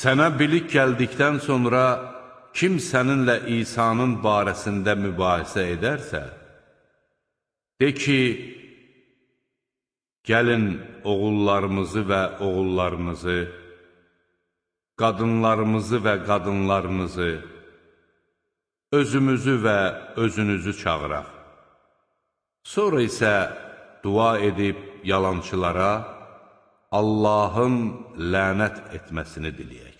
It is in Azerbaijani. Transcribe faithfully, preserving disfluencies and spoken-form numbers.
Sənə bilik gəldikdən sonra kim səninlə İsa'nın barəsində mübahisə edərsə, de ki, gəlin oğullarımızı və oğullarınızı, qadınlarımızı və qadınlarınızı, özümüzü və özünüzü çağıraq. Sonra isə dua edib yalançılara Allahın lənət etməsini diləyək.